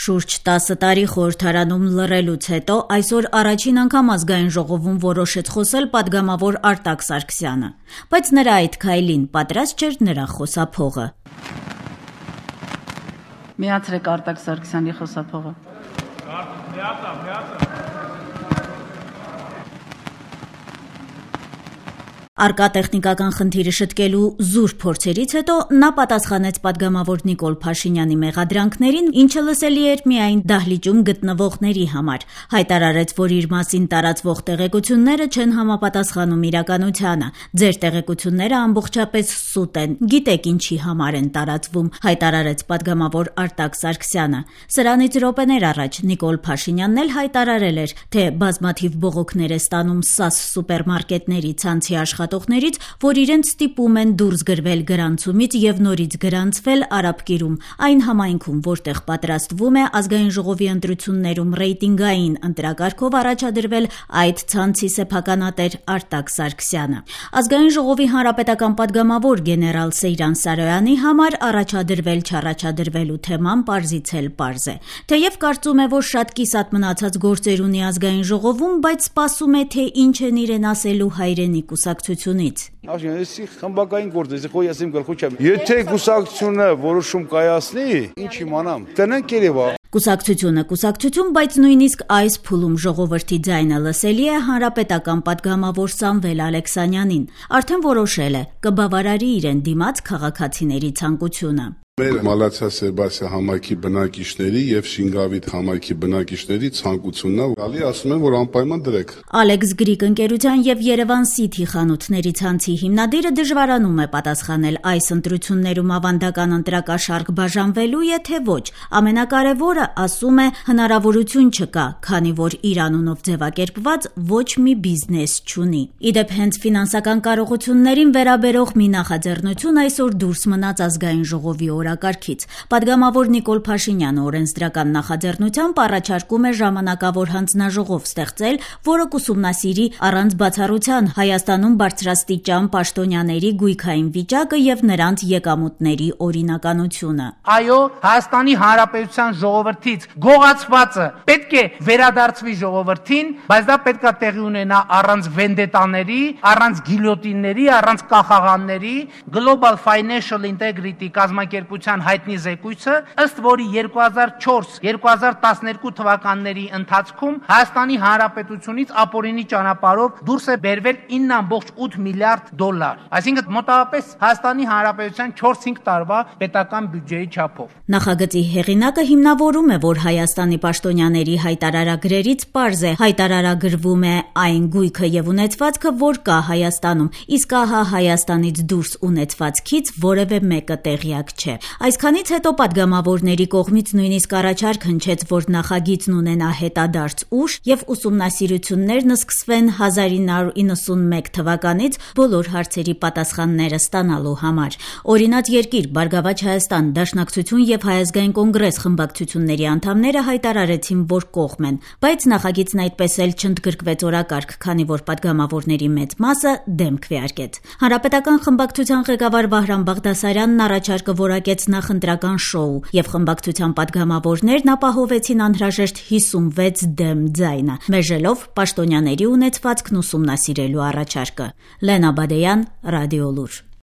Շուրջ 10 տարի խորհրդարանում լռելուց հետո այսօր առաջին անգամ ազգային ժողովում որոշեց խոսել պատգամավոր Արտակ Սարգսյանը, բայց նրա այդ քայլին պատրաստ չէր նրա խոսափողը։ Միացրեք Արտակ Սարգսյանի խոսափողը։ Արկատեխնիկական խնդիրը շտկելու զուր փորձերից հետո նա պատասխանեց պատգամավոր Նիկոլ Փաշինյանի մեղադրանքներին, ինչը լսելի էր միայն դահլիճում գտնվողների համար, հայտարարեց, որ իր մասին տարածվող տեղեկությունները չեն համապատասխանում իրականությանը, ձեր տեղեկությունները ամբողջապես սուտ են, գիտեք ինչի համար են տարածվում, հայտարարեց պատգամավոր Արտակ Սարգսյանը։ Սրանից րոպեներ առաջ Նիկոլ Փաշինյանն էլ հայտարարել էր, թե բազմաթիվ բողոքներ է ստանում ՍԱՍ սուպերմարկետների ցանցի աշխատողներից, որ իրենց ստիպում են դուրս գրվել գրանցումից եւ նորից գրանցվել Արաբկիրում, այն համայնքում, որտեղ պատրաստվում է ազգային ժողովի ընտրություններում ռեյտինգային ընտրակարգով առաջադրվել այդ ցանցի սեփականատեր Արտակ Սարգսյանը։ Ազգային ժողովի հանրապետական պատգամավոր գեներալ Սեյրան Սարոյանի համար առաջադրվել-չառաջադրվելու թեման պարզից էլ պարզ է։ Թեև կարծում է, որ շատ կիսատ մնացած գործեր ունի ազգային ժողովում, բայց սպասում է, թե ինչ են իրեն ասելու հայրենի կուսակցությունից։ Այսի խմբակային գործ է, խոյ ասեմ գլխու չեմ։ Եթե կուսակցությունը որոշում կայացնի, ինչ իմանամ։ Տնենք Երևա։ Կուսակցություն, բայց նույնիսկ այս փուլում ժողովրդի ձայնը լսելի է հանրապետական պատգամավոր Սամվել Ալեքսանյանին։ Արդեն որոշել է, կբավարարի իրեն դիմաց քաղաքացիների ցանկությունը։ Մեր Մալացիա-Սերբասիա համայնքի բնակիչների եւ Շինգավիթ համայնքի բնակիչների ցանկությունն է, գալի ասում են, որ անպայման դրեք։ Ալեքս Գրիկ ընկերության եւ Երևան City խանութների ցանցի հիմնադիրը դժվարանում է պատասխանել այս ընտրություններում ավանդական ընտրակաշարք բաժանվելու է թե ոչ։ Ամենակարևորը, ասում է, հնարավորություն չկա, քանի որ իր անունով ձևակերպված ոչ մի բիզնես չունի։ Իդեպ հենց ֆինանսական կարողություններին վերաբերող մի նախաձեռնություն այսօր դուրս մնաց ազգային ժողովի օրակարգից։ Պատգամավոր Նիկոլ Փաշինյանը օրենսդրական նախաձեռնությամբ առաջարկում է ժամանակավոր հանձնաժողով ստեղծել, որը կուսումնասիրի առանց բացառության Հայաստանում բարձրաստիճան պաշտոնյաների գույքային վիճակը եւ նրանց եկամուտների օրինականությունը։ Այո, Հայաստանի Հանրապետության ժողովրդից գողացվածը պետք է վերադարձվի ժողովրդին, բայց դա պետք է տեղի ունենա առանց վենդետաների, առանց գիլյոտինների, առանց կախաղանների։ Global Financial Integrity կազմակերպության հայտնի զեկույցը, ըստ որի 2004-2012 թվականների ընթացքում Հայաստանի Հանրապետությունից ապօրինի ճանապարհով դուրս է բերվել 9.8 միլիարդ դոլար, այսինքն մոտավորապես Հայաստանի Հանրապետության 4-5 տարվա պետական բյուջեի չափով։ Նախագծի հեղինակը հիմնավորում է, որ Հայաստանի պաշտոնյաների հայտարարագրերից պարզ է, հայտարարագրվում է այն գույքը եւ ունեցվածքը, որ կա Հայաստանում, իսկ ահա Հայաստանից դուրս ունեցվածքից որևէ մեկը տեղյակ չէ։ Այսքանից հետո պատգամավորների կողմից նույնիսկ առաջարկ հնչեց, որ նախագիծն ունենա հետադարձ ուժ եւ ուսումնասիրություններն սկսվեն 1991 թվականից բոլոր հարցերի պատասխանները ստանալու համար։ Օրինաց երկիր, Բարգավաճ Հայաստան, Դաշնակցություն եւ Հայ ազգային կոնգրես խմբակցությունների անդամները հայտարարեցին, որ կողմ են, բայց նախագիծն այդպես էլ չընդգրկվեց օրակարգ, քանի որ պատգամավորների մեծ մասը դեմ քվեարկեց։ Հանրապետական խմբակցության ղեկավար Վահրամ Բաղդասարյանն առաջարկը որակեց նախընտրական շոու եւ խմբակցության պատգամավորներն ապահովեցին անհրաժեշտ 56 դեմ ձայնը, մերժելով պաշտոնյաների ունեցվածքն ուսումնասիրելու առաջարկը։ Լենա Բադեյան, Ռադիոլուր։